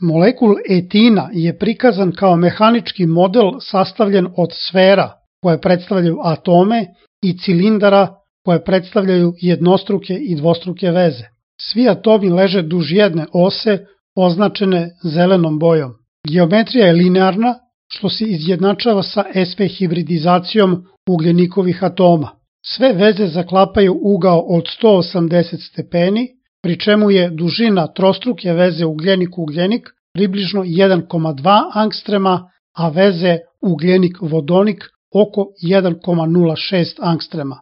Molekul etina je prikazan kao mehanički model sastavljen od sfera koje predstavljaju atome i cilindara koje predstavljaju jednostruke i dvostruke veze. Svi atomi leže duž jedne ose označene zelenom bojom. Geometrija je linearna, što se izjednačava sa sv hibridizacijom ugljenikovih atoma. Sve veze zaklapaju ugao od 180 stepeni, pri čemu je dužina trostruke veze ugljenik-ugljenik približno 1,2 angstrema, a veze ugljenik-vodonik oko 1,06 angstrema.